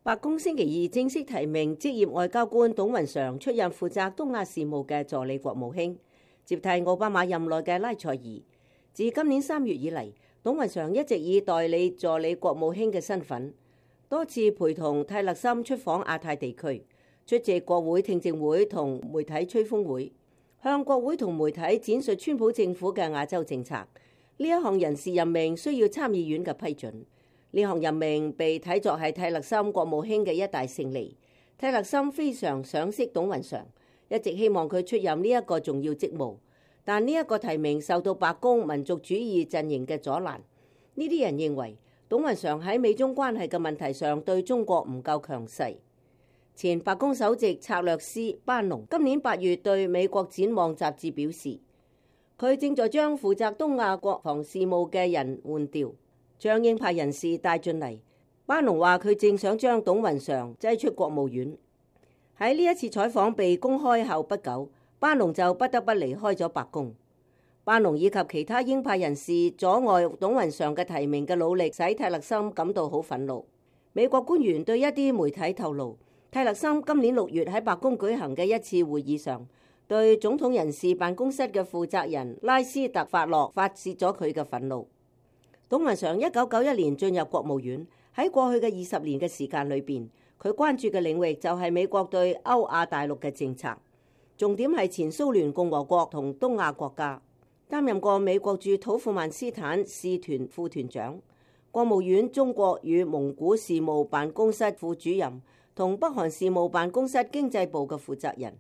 白宮星期二正式提名職業外交官董雲常出任負責東亞事務嘅助理國務卿，接替奧巴馬任內嘅拉塞爾。自今年3月以嚟，董雲常一直以代理助理國務卿嘅身份，多次陪同蒂勒森出訪亞太地區，出席國會聽證會同媒體吹風會，向國會同媒體展述川普政府嘅亞洲政策。呢一項人事任命需要參議院嘅批准。呢項任命被睇作係蒂勒森國務卿嘅一大勝利。蒂勒森非常賞識董雲常，一直希望佢出任呢一個重要職務，但呢一個提名受到白宮民族主義陣營嘅阻攔。呢啲人認為董雲常喺美中關係嘅問題上對中國唔夠強勢。前白宮首席策略師班農今年8月對美國展望雜誌表示，佢正在將負責東亞國防事務嘅人換掉，將鷹派人士帶進嚟。班農話佢正想將董雲常擠出國務院。喺呢一次採訪被公開後不久，班農就不得不離開咗白宮。班農以及其他鷹派人士阻礙董雲常嘅提名嘅努力，使蒂勒森感到好憤怒。美國官員對一啲媒體透露，蒂勒森今年6月喺白宮舉行嘅一次會議上，對總統人事辦公室嘅負責人拉斯特法洛發洩咗佢嘅憤怒。董雲常1991年進入國務院，喺過去嘅20年嘅時間裏邊，佢關注嘅領域就係美國對歐亞大陸嘅政策，重點係前蘇聯共和國同東亞國家。擔任過美國駐土庫曼斯坦使團副團長、國務院中國與蒙古事務辦公室副主任同北韓事務辦公室經濟部嘅負責人，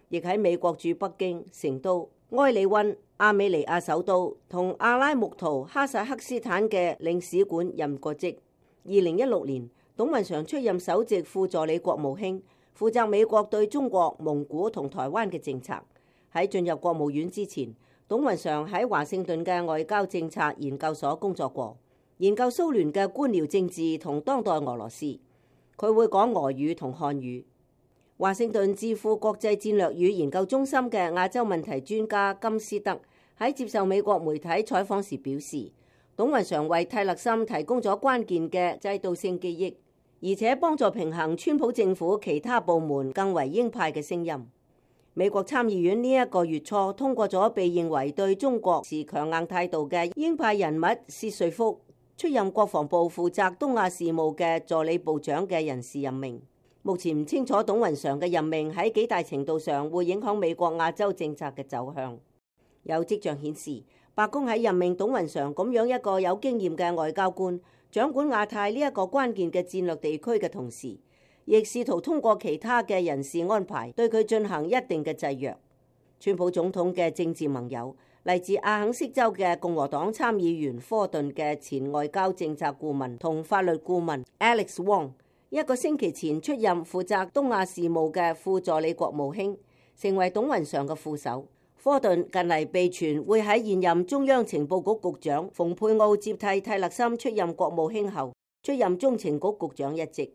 亦喺美國駐北京、成都、埃里溫、亞美尼亞首都同阿拉木圖哈薩克斯坦嘅領事館任過職。2016年，董雲常出任首席副助理國務卿，負責美國對中國、蒙古同台灣嘅政策。喺進入國務院之前，董雲常喺華盛頓嘅外交政策研究所工作過，研究蘇聯嘅官僚政治同當代俄羅斯。佢會講俄語同漢語。華盛頓智庫國際戰略與研究中心嘅亞洲問題專家金斯德喺接受美國媒體採訪時表示，董雲常為蒂勒森提供咗關鍵嘅制度性記憶，而且幫助平衡川普政府其他部門更為鷹派嘅聲音。美國參議院呢一個月初通過咗被認為對中國持強硬態度嘅鷹派人物薛瑞福出任國防部負責東亞事務嘅助理部長嘅人事任命。目前唔清楚董雲常嘅任命喺幾大程度上會影響美國亞洲政策嘅走向。有跡象顯示，白宮喺任命董雲常咁樣一個有經驗嘅外交官，掌管亞太呢一個關鍵嘅戰略地區嘅同時，亦試圖通過其他嘅人事安排對佢進行一定嘅制約。川普總統嘅政治盟友，嚟自阿肯色州嘅共和黨參議員科頓嘅前外交政策顧問同法律顧問 Alex Wong，一個星期前出任負責東亞事務嘅副助理國務卿，成為董雲常嘅副手。科頓近嚟被傳會喺現任中央情報局局長蓬佩奧接替蒂勒森出任國務卿後，出任中情局局長一職。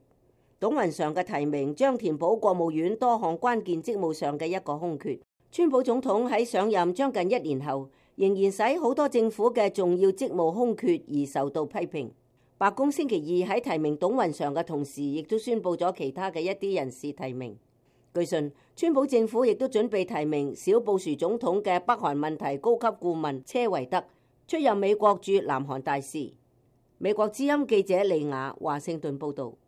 董雲常嘅提名將填補國務院多項關鍵職務上嘅一個空缺。川普總統喺上任將近1年後，仍然使好多政府嘅重要職務空缺而受到批評。白宮星期二喺提名董雲常嘅同時，亦都宣布咗其他嘅一啲人事提名。據信，川普政府亦都準備提名小布殊總統嘅北韓問題高級顧問車維德出任美國駐南韓大使。美國之音記者利雅華盛頓報道。